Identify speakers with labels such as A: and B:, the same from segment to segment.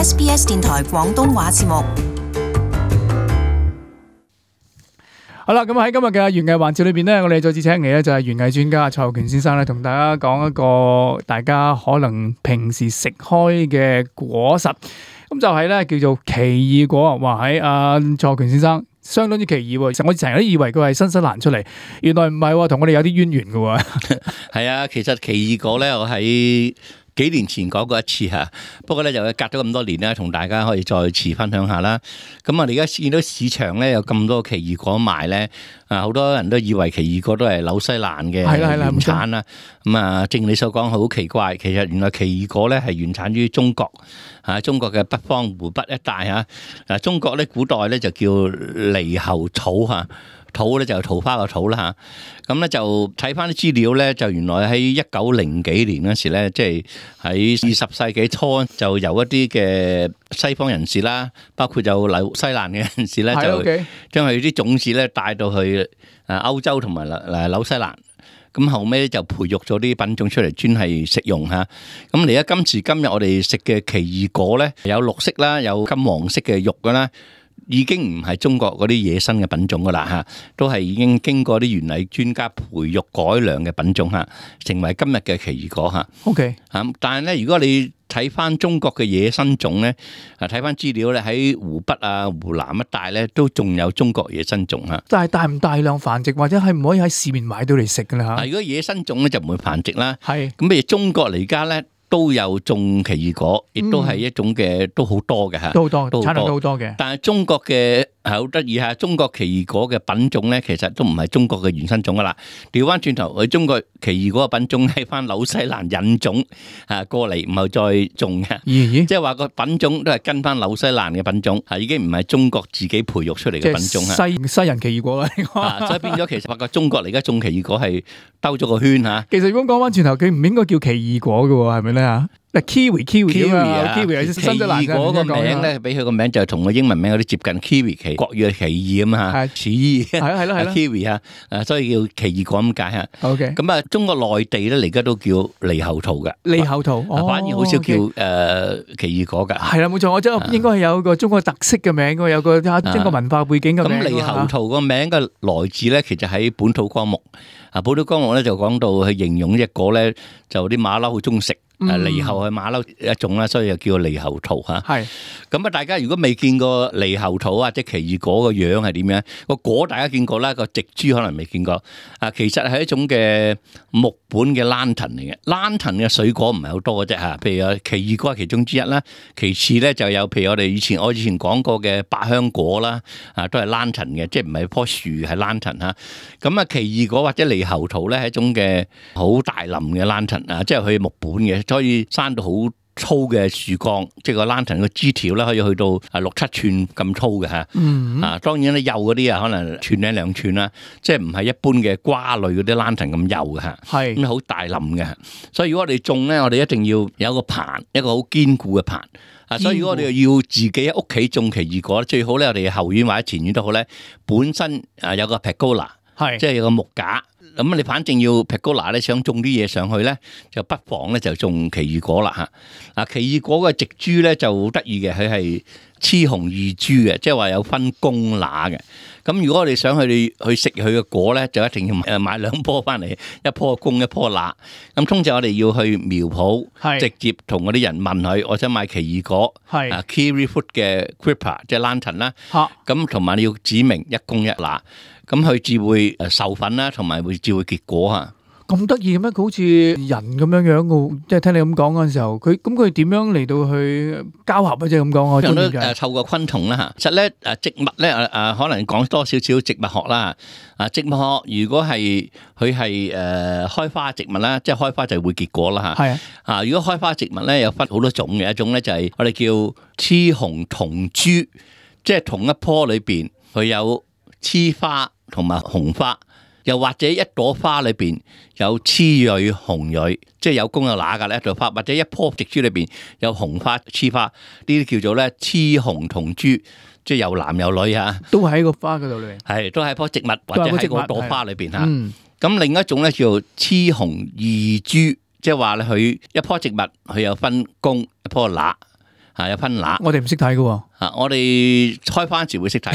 A: SBS 電台廣東話節目。
B: 好啦，咁喺今日嘅園藝環節裏邊咧，我哋再次請嚟咧就係園藝專家蔡浩權先生咧，同大家講一個大家可能平時食開嘅果實，咁就係咧叫做奇異果。哇，喺蔡浩權先生相當之奇異喎，我成日都以為佢係新西蘭出嚟，原來唔係喎，同我哋有啲淵源嘅喎。
C: 係啊，其實奇異果咧，我喺幾年前講過一次嚇，不過咧就隔咗咁多年咧，同大家可以再次分享下啦。咁我哋而家見到市場咧有咁多奇異果賣咧，好多人都以為奇異果都係紐西蘭嘅原產啦。咁啊，正如你所講，好奇怪，其實原來奇異果咧係原產於中國嚇，中國嘅北方湖北一帶嚇。中國咧古代咧就叫獼猴草嚇。土咧就係桃花個土啦嚇，咁咧就睇翻啲資料咧，就原來喺1900幾年嗰時咧，即係喺20世紀初，就有一啲嘅西方人士啦，包括有紐西蘭嘅人士咧，就將佢啲種子咧帶到去歐洲同埋紐西蘭，咁後尾就培育咗啲品種出嚟，專係食用嚇。咁而家今時今日我哋食嘅奇異果咧，有綠色啦，有金黃色嘅肉噶啦。已經唔係中國嗰啲野生嘅品種噶啦嚇，都係已經經過啲園藝專家培育改良嘅品種嚇，成為今日嘅奇異果嚇。
B: OK
C: 嚇，但係咧，如果你睇翻中國嘅野生種咧，睇翻資料咧，喺湖北啊、湖南一帶咧，都仲有中國野生種嚇。
B: 但係大唔大量繁殖，或者係唔可以喺市面買到嚟食㗎啦嚇？
C: 如果野生種咧就唔會繁殖啦。
B: 係
C: 咁，譬如中國嚟家咧，都有種奇異果，亦都係一種嘅，都好多嘅嚇，
B: 都好多，產量都好多嘅。
C: 但係中國嘅係好得意嚇，中國奇異果嘅品種咧，其實都唔係中國嘅原生種噶啦。調翻轉頭，佢中國奇異果嘅品種係翻紐西蘭引種過嚟，唔係再種嘅。即係話個品種都係跟翻紐西蘭嘅品種，已經唔係中國自己培育出嚟嘅品種嚇。
B: 西人奇異果啦，
C: 所以變咗其實發覺中國嚟家種奇異果係兜咗個圈嚇。
B: 其實如果講翻轉頭，佢唔應該叫奇異果嘅喎，係咪咧嚇？kiwi 啊 ，kiwi 係新西蘭嘅。
C: 奇異果個名咧，俾佢個名就同個英文名有啲接近 kiwi，國語係奇異咁啊，似異係咯 kiwi 啊，所以叫奇異果咁解嚇。
B: OK，
C: 咁啊，中國內地咧而家都叫獼猴桃嘅，
B: 獼猴桃，
C: 反而好少叫奇異果㗎。
B: 係啦，冇錯，我真係應該係有個中國特色嘅名，有個中國文化背景嘅名。
C: 咁獼猴桃個名嘅來自咧，其實喺本土綱目。本土綱目咧就講到去形容隻果咧，就啲馬騮好中意食。獼猴係馬騮一種啦，所以就叫獼猴桃嚇。係咁啊！大家如果未見過獼猴桃或者奇異果個樣係點樣？個果大家見過啦，個植株可能未見過。其實係一種嘅木本嘅蘭藤嚟嘅。蘭藤嘅水果唔係好多嘅啫嚇。譬如有奇異果係其中之一啦，其次咧就有譬如我以前講過嘅百香果啦，都係蘭藤嘅，即係唔係棵樹係蘭藤嚇。咁啊，奇異果或者獼猴桃咧係一種嘅好大林嘅蘭藤啊，即係佢木本嘅。可以生到好粗嘅樹幹，即係個蘭藤個枝條咧，可以去到6-7寸咁粗嘅嚇。當然咧幼嗰啲可能寸零2寸啦，即係唔係一般嘅瓜類嗰啲蘭藤咁幼嘅嚇。係咁好大林嘅，所以如果我哋種咧，我哋一定要有一個棚，一個好堅固嘅棚。所以如果我哋要自己喺屋企種奇異果，最好咧我哋後院或者前院都好咧，本身有個 pergola，即係有個木架。咁你反正要 pergola 咧，想種啲嘢上去咧，就不妨咧就種奇異果啦嚇。奇異果嘅植株咧就好得意嘅，佢係雌雄異株嘅，即係話有分公乸嘅。咁如果我哋想去食佢嘅果咧，就一定要買2棵翻嚟，一棵公一棵乸。咁通常我哋要去苗圃，直接同嗰啲人問佢，我想買奇異果，kiwi fruit 嘅 creeper 即係蘭藤啦。咁同埋你要指明一公一乸。咁佢至會授粉啦，同埋至會結果嚇。
B: 咁得意嘅咩？佢好似人咁樣樣嘅，即係聽你咁講嗰陣時候，佢點樣嚟到去交合啊？即係咁講，我中意嘅。透過昆蟲啦嚇。其實咧植物咧可能講多少少植物學啦。植物學如果係佢係開花植物啦，即係開花就會結果啦嚇。係啊。如果開花植物咧有分好多種嘅，一種咧就係我哋叫雌雄同株，即係同一棵裏邊佢有雌花同埋雄花，又或者一朵花裏邊有雌蕊雄蕊，即係有公有乸噶咧一朵花，或者一棵植株裏邊有雄花雌花，呢啲叫做咧雌雄同株，即係有男有女嚇，都喺個花嗰度裏邊，係都喺棵植物或者喺個朵花裏邊嚇。咁另一種咧叫雌雄異株，即係話咧佢一棵植物佢有分公一棵乸。
C: 有分乸。
B: 我哋唔識睇嘅。
C: 我哋開花時會識睇。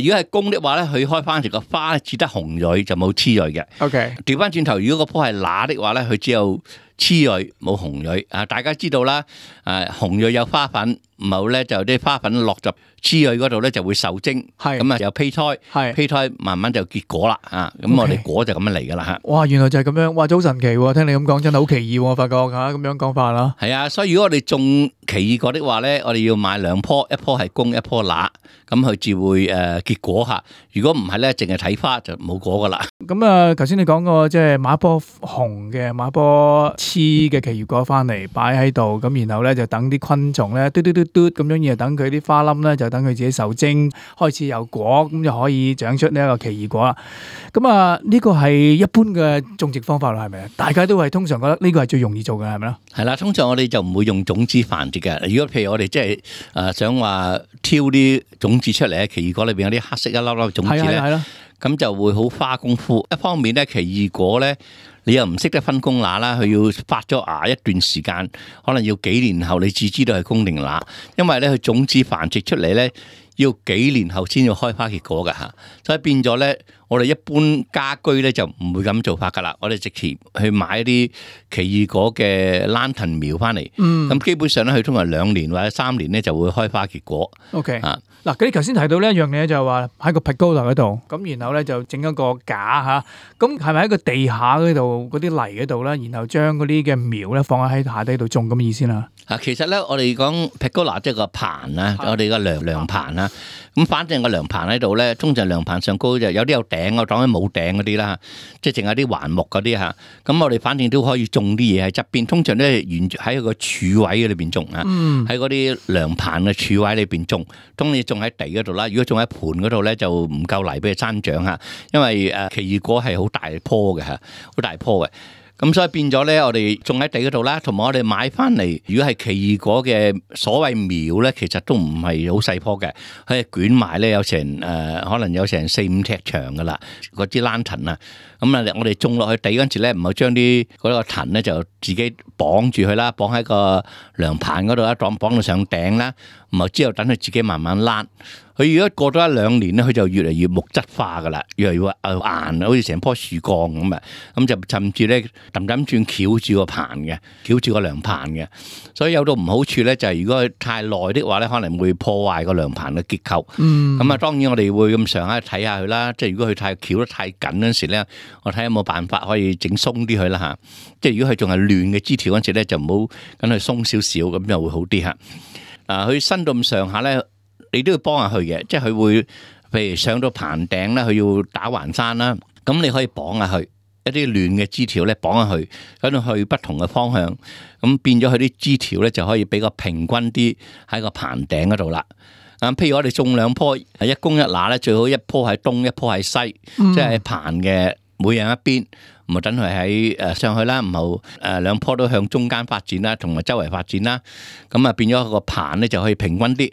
C: 如果係公的話咧，佢開花時個花只得紅蕊就冇雌蕊嘅。
B: OK。
C: 調翻轉頭，如果個棵係乸的話咧，佢只有雌蕊冇紅蕊。大家知道啦，紅蕊有花粉，唔好咧就啲花粉落入雌蕊嗰度咧就會受精，咁有胚胎，胚胎慢慢就結果啦。咁我哋果就咁樣嚟噶啦吓。
B: 哇，原來就係咁樣，哇，真好神奇喎！聽你咁講真係好奇異，我發覺吓咁樣講法啦。
C: 係啊，所以如果我哋種奇異果的話咧，我哋要買兩棵，一棵係公，一棵乸，咁佢至會結果吓。如果唔係咧，淨係睇花就冇果噶啦。
B: 咁啊，頭先你講過即係買一棵紅嘅，買一棵雌嘅奇異果翻嚟擺喺度，咁然後咧就等啲昆蟲咧嘟嘟嘟嘟咁樣，然後等佢啲花冧咧就等佢自己受精，開始有果，咁就可以長出呢一個奇異果啦。咁啊，呢個係一般嘅種植方法啦，係咪啊？大家都係通常覺得呢個係最容易做嘅，係咪咧？係啦，
C: 通常我哋就唔會用種子繁殖嘅。如果譬如我哋即係想話挑啲種子出嚟咧，奇異果裏邊有啲黑色一粒粒種子咧，咁就會好花功夫。一方面咧，奇異果咧，你又唔識得分公乸啦，佢要發咗芽一段時間，可能要幾年後你至知道係公定乸，因為咧佢種子繁殖出嚟咧，要幾年後先要開花結果㗎吓，所以變咗咧，我哋一般家居咧就唔會咁做法噶啦，我哋直接去買一啲奇異果嘅蘭藤苗翻嚟，咁基本上咧佢通常2年或者3年咧就會開花結果。
B: OK 啊，嗱，你頭先提到呢一樣嘢就係話喺個 pergola 嗰度，咁然後咧就整一個架吓，咁係咪喺個地下嗰度嗰啲泥嗰度咧，然後將嗰啲嘅苗咧放喺下底度種咁嘅意思啦？
C: 其實咧我哋講 pergola 即係個棚啊，我哋個涼棚啊，咁反正個涼棚喺度咧，通常涼棚上高就有啲有頂，我當冇頂嗰啲啦，即係淨係啲橫木嗰啲吓。咁我哋反正都可以種啲嘢喺側邊，通常咧沿住喺個柱位裏邊種啊，喺嗰啲涼棚嘅柱位裏邊種。當你種喺地嗰度啦，如果種喺盆嗰度咧就唔夠泥俾佢生長吓，因為奇異果係好大棵嘅吓，好大棵嘅。咁所以變咗咧，我哋種喺地嗰度啦，同埋我哋買翻嚟，如果係奇異果嘅所謂苗咧，其實都唔係好細棵嘅，佢係捲埋咧有成可能有成4-5尺長噶啦，嗰支蘭藤啊。咁啊，我哋種落去地嗰陣時咧，唔好將啲嗰個藤咧就自己綁住佢啦，綁喺個涼棚嗰度啦，綁到上頂啦，然後之後等佢自己慢慢躝。佢如果過咗1-2年咧，佢就越嚟越木質化噶啦，越嚟越硬，好似成棵樹幹咁啊！咁就甚至咧氹轉翹住個棚嘅，翹住個涼棚嘅。所以有到唔好處咧，就係如果佢太耐的話咧，可能會破壞個涼棚嘅結構。咁啊，當然我哋會咁上下睇下佢啦。即係如果佢太翹得太緊嗰陣時咧，我睇下有冇辦法可以整鬆啲佢啦嚇。即係如果佢仲係亂嘅枝條嗰陣時咧，就唔好跟佢鬆少少，咁就會好啲嚇。佢伸到咁上下咧，你都要幫下佢嘅，即係佢會譬如上到棚頂咧，佢要打橫山啦，咁你可以綁下佢一啲亂嘅枝條咧，綁下佢，跟住去不同嘅方向，咁變咗佢啲枝條咧就可以比較平均啲喺個棚頂嗰度啦。譬如我哋種2棵，一公一乸咧，最好一棵喺東，一棵喺西，即係棚嘅每人一邊，唔好等佢喺上去啦，唔好2棵都向中間發展啦，同埋周圍發展啦，咁啊變咗個棚咧就可以平均啲。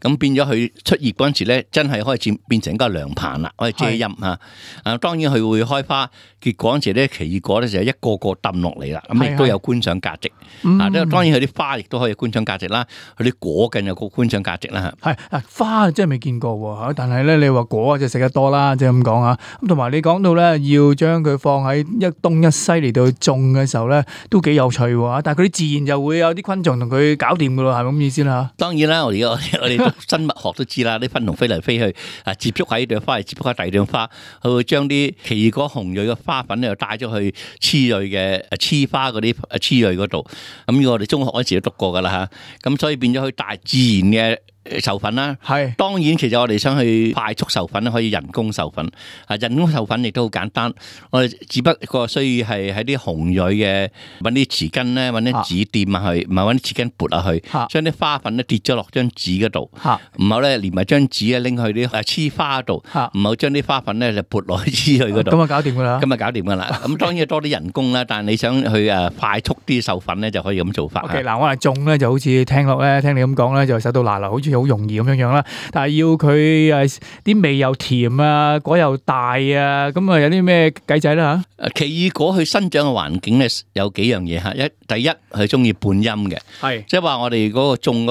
C: 咁變咗佢出葉嗰陣時咧，真係可以變成一個涼棚啦，可以遮陰嚇。當然佢會開花結果嗰陣時咧，奇異果咧就一個個抌落嚟啦，咁亦都有觀賞價值。當然佢啲花亦都可以觀賞價值啦，佢啲果更有個觀賞價值啦嚇。
B: 花真係未見過喎，但係咧你話果就食得多啦，即係咁講嚇。咁同埋你講到咧，要將佢放喺一東一西嚟到種嘅時候咧，都幾有趣喎。但係佢啲自然就會有啲昆蟲同佢搞掂噶咯，係咪咁意思啦？當然啦，
C: 我哋生物學都知啦，啲昆蟲飛嚟飛去，接觸喺呢朵花，接觸喺第二朵花，佢會將啲奇異果紅蕊嘅花粉咧，又帶咗去雌蕊嘅雌花嗰啲雌蕊嗰度。咁我哋中學嗰時都讀過噶啦吓，咁所以變咗佢大自然嘅授粉啦。係，當然其實我哋想去快速授粉咧，可以人工授粉。人工授粉亦都好簡單，我哋只不過需要係喺啲紅蕊嘅揾啲匙羹咧，揾啲紙掂下去，唔係揾啲匙羹撥下去，將啲花粉咧跌咗落張紙嗰度，唔好咧連埋張紙咧拎去啲黐花度，唔好將啲花粉咧就撥落去黐去嗰度。咁啊搞掂噶啦，咁啊搞掂噶啦。咁當然要多啲人工啦，但係你想去快速啲授粉咧，就可以咁做法。OK， 嗱我哋種咧就好似聽落咧，聽你咁講咧就手到拿來，好似
B: 似好容易咁樣啦。但係要佢啲味又甜啊，果又大啊，咁啊有啲咩計仔啦嚇？
C: 奇異果佢生長嘅環境咧有幾樣嘢嚇。第一佢中意半陰嘅，係即係話我哋嗰個種嗰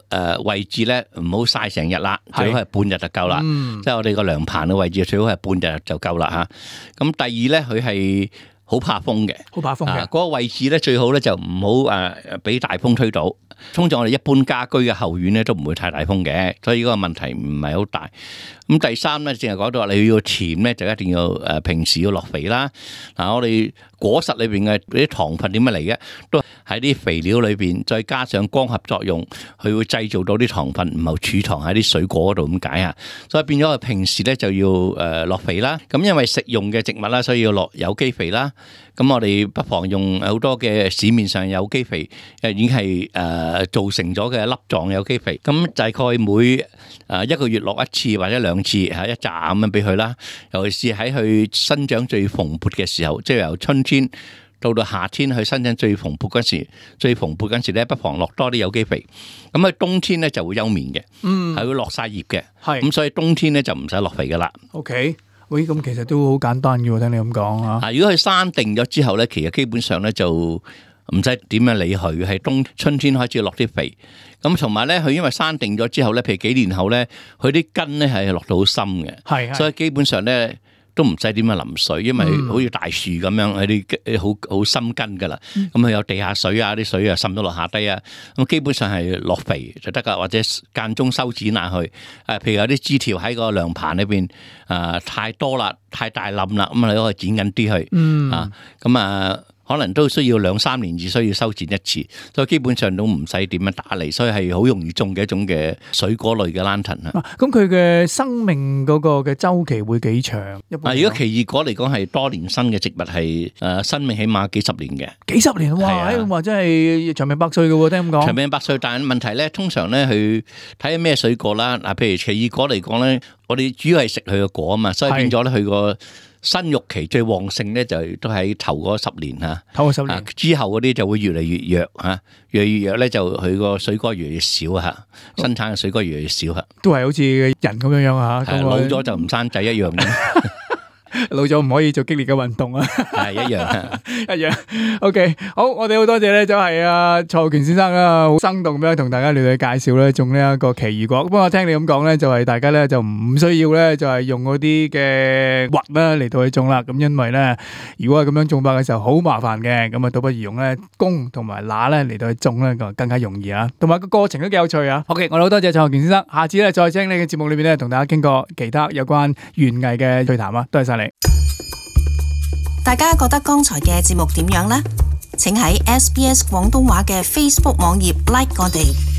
C: 個位置咧唔好曬成日啦，最好係半日就夠啦。即係我哋個涼棚嘅位置最好係半日就夠啦嚇。咁第二咧佢係好怕風嘅，好怕風嘅嗰個位置咧最好咧就唔好俾大風吹到。通常我哋一般家居嘅後院咧都唔會太大風嘅，所以嗰個問題唔係好大。咁第三咧，淨係講到話你要甜咧，就一定要平時要落肥啦。我哋果實裏邊嘅啲糖分點樣嚟嘅？都喺啲肥料裏邊，再加上光合作用，佢會製造到啲糖分，唔係儲藏喺啲水果嗰度咁解啊。所以變咗，平時咧就要落肥啦。咁因為食用嘅植物啦，所以要落有機肥啦。咁我哋不妨用好多嘅市面上有機肥，已經係造成咗嘅粒狀有機肥。咁大概每一個月落一次或者2次，一紮咁樣俾佢啦。尤其是喺佢生長最蓬勃嘅時候，即係由春天到夏天佢生長最蓬勃嗰時咧，不妨落多啲有機肥。咁喺冬天咧就會休眠嘅，係會落晒葉嘅。咁所以冬天咧就唔使落肥噶啦。
B: OK。喂，咁其實都好簡單嘅喎，聽你咁講啊。
C: 如果佢生定咗之後咧，其實基本上咧就唔使點樣理佢，係春天開始落啲肥。咁同埋咧，佢因為生定咗之後咧，譬如幾年後咧，佢啲根咧係落到好深嘅，所以基本上咧都唔使點樣淋水，因為好似大樹咁樣，佢啲好深根噶啦。咁佢有地下水啊，啲水啊滲到落下低啊，咁基本上係落肥就得噶，或者間中修剪下去。譬如有啲枝條喺個涼棚裏邊太多啦，太大冧啦，咁你可以剪緊啲去。可能都需要2-3年至需要修剪一次，所以基本上都唔使點樣打理，所以係好容易種嘅一種嘅水果類嘅 lantern 啊。
B: 咁佢嘅生命嗰個嘅週期會幾長？
C: 如果奇異果嚟講係多年生嘅植物，係生命起碼幾十年嘅。
B: 幾十年哇！話真係長命百歲嘅喎，聽咁講。
C: 長命百歲，但係問題咧，通常咧佢睇下咩水果啦。譬如奇異果嚟講咧，我哋主要係食佢嘅果啊嘛，所以變咗咧佢個生育期最旺盛咧，就都喺頭嗰10年嚇。頭嗰10年之後嗰啲就會越嚟越弱嚇，越嚟越弱咧就佢個水果越嚟越少嚇，生產嘅水果越嚟越少嚇。
B: 都係好似人咁樣樣嚇，
C: 老咗就唔生仔一樣嘅。
B: 老咗唔可以做激烈嘅運動啊，
C: 係一樣
B: 一樣。OK， 好，我哋好多謝咧，就係蔡浩權先生啦，好生動咁樣同大家嚟介紹咧種呢一個奇異果。不過我聽你咁講咧，就係大家咧就唔需要咧，就係用嗰啲嘅核啦嚟到去種啦。咁因為咧，如果係咁樣種法嘅時候好麻煩嘅，咁啊倒不如用咧弓同埋乸咧嚟到去種咧，更加容易啊。同埋個過程都幾有趣啊。OK， 我哋好多謝蔡浩權先生，下次咧再請你嘅節目裏邊咧同大家傾過其他有關園藝嘅趣談啊。多謝晒你。
A: 大家覺得剛才嘅節目點樣呢？請喺SBS 廣東話嘅 Facebook 網頁 like 我哋。